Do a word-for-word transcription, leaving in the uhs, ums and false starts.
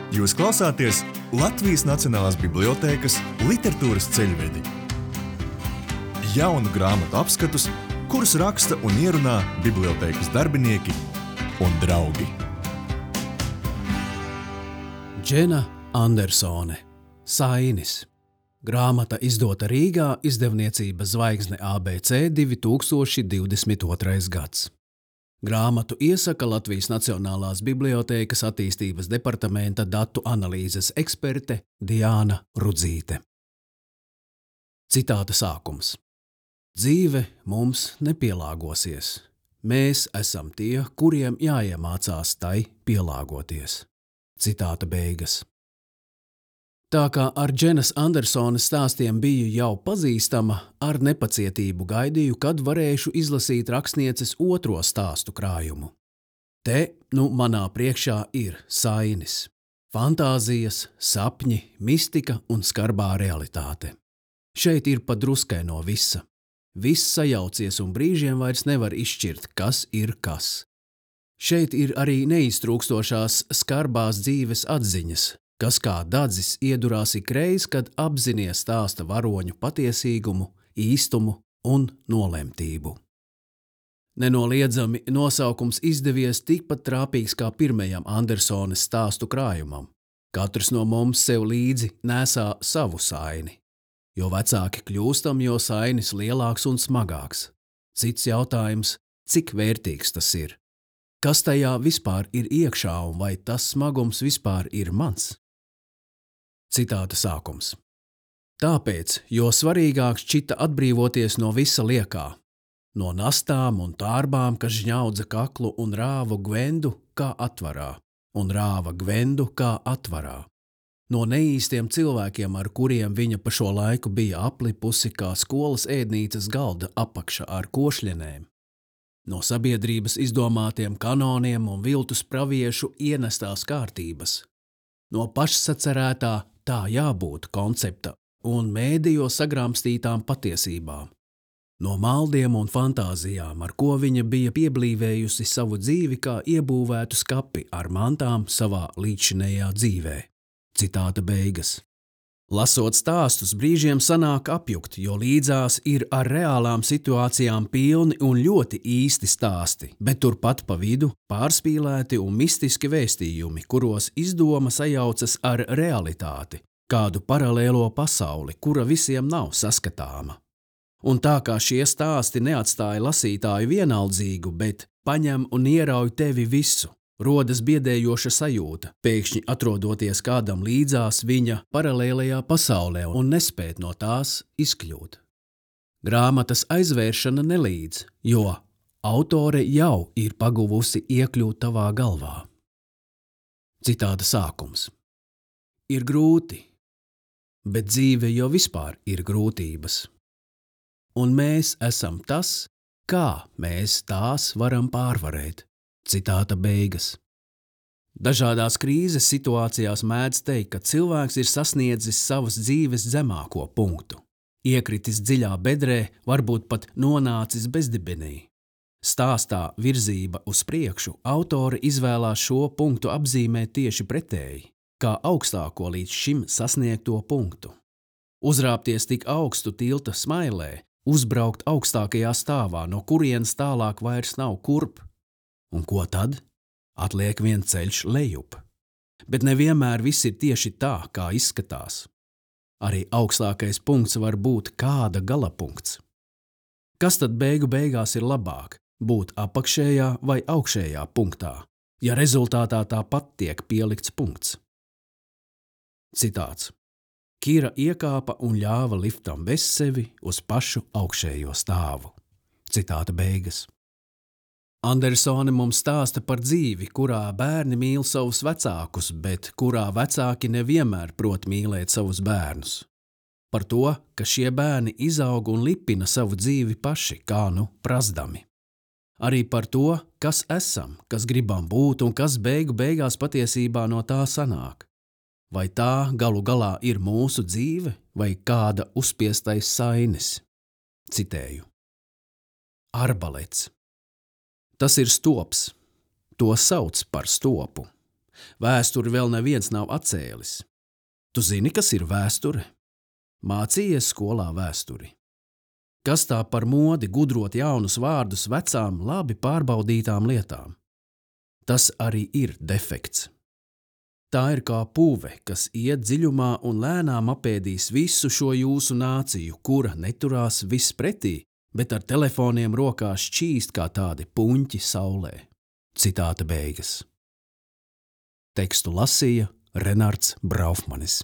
Jūs klausāties Latvijas Nacionālās bibliotēkas literatūras ceļvedi. Jaunu grāmatu apskatus, kurus raksta un ierunā bibliotēkas darbinieki un draugi. Džena Andersone, Sainis. Grāmata izdota Rīgā, izdevniecība Zvaigzne A B C divi tūkstoši divdesmit otrais gads. Grāmatu iesaka Latvijas Nacionālās bibliotēkas attīstības departamenta datu analīzes eksperte Diāna Rudzīte. Citāta sākums. Dzīve mums nepielāgosies. Mēs esam tie, kuriem jāiemācās tai pielāgoties. Citāta beigas. Tā kā ar Dženas Andersones stāstiem biju jau pazīstama, ar nepacietību gaidīju, kad varēšu izlasīt rakstnieces otro stāstu krājumu. Te, nu, manā priekšā ir Sainis. Fantāzijas, sapņi, mistika un skarbā realitāte. Šeit ir pa druskai no visa. Viss sajaucies un brīžiem vairs nevar izšķirt, kas ir kas. Šeit ir arī neiztrūkstošās skarbās dzīves atziņas, kas kā dadzis iedurās ikreiz, kad apzinies stāsta varoņu patiesīgumu, īstumu un nolemtību. Nenoliedzami nosaukums izdevies tikpat trāpīgs kā pirmajam Andersones stāstu krājumam. Katrs no mums sev līdzi nesā savu saini. Jo vecāki kļūstam, jo sainis lielāks un smagāks. Cits jautājums, cik vērtīgs tas ir? Kas tajā vispār ir iekšā un vai tas smagums vispār ir mans? Citāta sākums. Tāpēc, jo svarīgāk šķita atbrīvoties no visa liekā, no nastām un tārbām, kas žņaudza kaklu un rāva Gvendu kā atvarā, un rāva Gvendu kā atvarā, no neīstiem cilvēkiem, ar kuriem viņa pa šo laiku bija aplipusi kā skolas ēdnīcas galda apakša ar košļenēm, no sabiedrības izdomātiem kanoniem un viltus praviešu ienestās kārtības, no pašsacerētā tā jābūt koncepta un mēdījos sagrāmstītām patiesībām, no maldiem un fantāzijām, ar ko viņa bija pieblīvējusi savu dzīvi kā iebūvētu skapi ar mantām savā līdzinējā dzīvē. Citāta beigas. Lasot stāstus, brīžiem sanāk apjukt, jo līdzās ir ar reālām situācijām pilni un ļoti īsti stāsti, bet turpat pa vidu pārspīlēti un mistiski vēstījumi, kuros izdoma sajaucas ar realitāti, kādu paralēlo pasauli, kura visiem nav saskatāma. Un tā kā šie stāsti neatstāja lasītāju vienaldzīgu, bet paņem un ierauj tevi visu, rodas biedējoša sajūta, pēkšņi atrodoties kādam līdzās viņa paralēlajā pasaulē un nespēt no tās izkļūt. Grāmatas aizvēršana nelīdz, jo autore jau ir paguvusi iekļūt tavā galvā. Citāta sākums. Ir grūti, bet dzīve jau vispār ir grūtības. Un mēs esam tas, kā mēs tās varam pārvarēt. Citāta beigas. Dažādās krīzes situācijās mēdz teikt, ka cilvēks ir sasniedzis savas dzīves zemāko punktu, iekritis dziļā bedrē, varbūt pat nonācis bezdibenī. Stāstā Virzība uz priekšu autore izvēlās šo punktu apzīmēt tieši pretēji, kā augstāko līdz šim sasniegto punktu. Uzrāpties tik augstu tilta smailē, uzbraukt augstākajā stāvā, no kurienes tālāk vairs nav kurp. Un ko tad? Atliek vien ceļš lejup. Bet nevienmēr viss ir tieši tā, kā izskatās. Arī augstākais punkts var būt kāda galapunkts. Kas tad beigu beigās ir labāk? Būt apakšējā vai augšējā punktā, ja rezultātā tāpat tiek pielikts punkts? Citāts. Kira iekāpa un ļāva liftam bez sevi uz pašu augšējo stāvu. Citāta beigas. Andersone mums stāsta par dzīvi, kurā bērni mīl savus vecākus, bet kurā vecāki nevienmēr prot mīlēt savus bērnus. Par to, ka šie bērni izaug un lipina savu dzīvi paši, kā nu prazdami. Arī par to, kas esam, kas gribam būt un kas beigu beigās patiesībā no tā sanāk. Vai tā galu galā ir mūsu dzīve vai kāda uzspiestais sainis? Citēju. Arbalets. Tas ir stops. To sauc par stopu. Vēsturi vēl neviens nav atcēlis. Tu zini, kas ir vēsture? Mācījies skolā vēsturi. Kas tā par modi gudrot jaunus vārdus vecām, labi pārbaudītām lietām? Tas arī ir defekts. Tā ir kā pūve, kas iet dziļumā un lēnām apēdīs visu šo jūsu nāciju, kura neturās viss pretī, bet ar telefoniem rokās šķīst kā tādi puņķi saulē. Citāta beigas. Tekstu lasīja Renards Braufmanis.